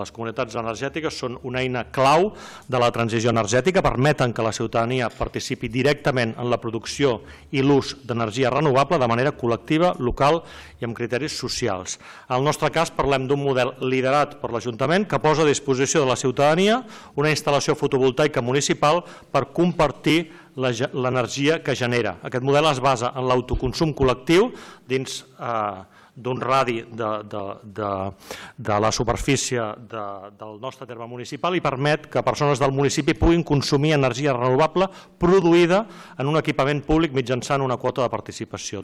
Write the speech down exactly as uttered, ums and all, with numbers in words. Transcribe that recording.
Les comunitats energètiques són una eina clau de la transició energètica, permeten que la ciutadania participi directament en la producció i l'ús d'energia renovable de manera col·lectiva, local i amb criteris socials. En el nostre cas parlem d'un model liderat per l'Ajuntament que posa a disposició de la ciutadania una instal·lació fotovoltaica municipal per compartir l'energia que genera. Aquest model es basa en l'autoconsum col·lectiu dins d'un radi de la superfície del nostre terme municipal i permet que persones del municipi puguin consumir energia renovable produïda en un equipament públic mitjançant una quota de participació.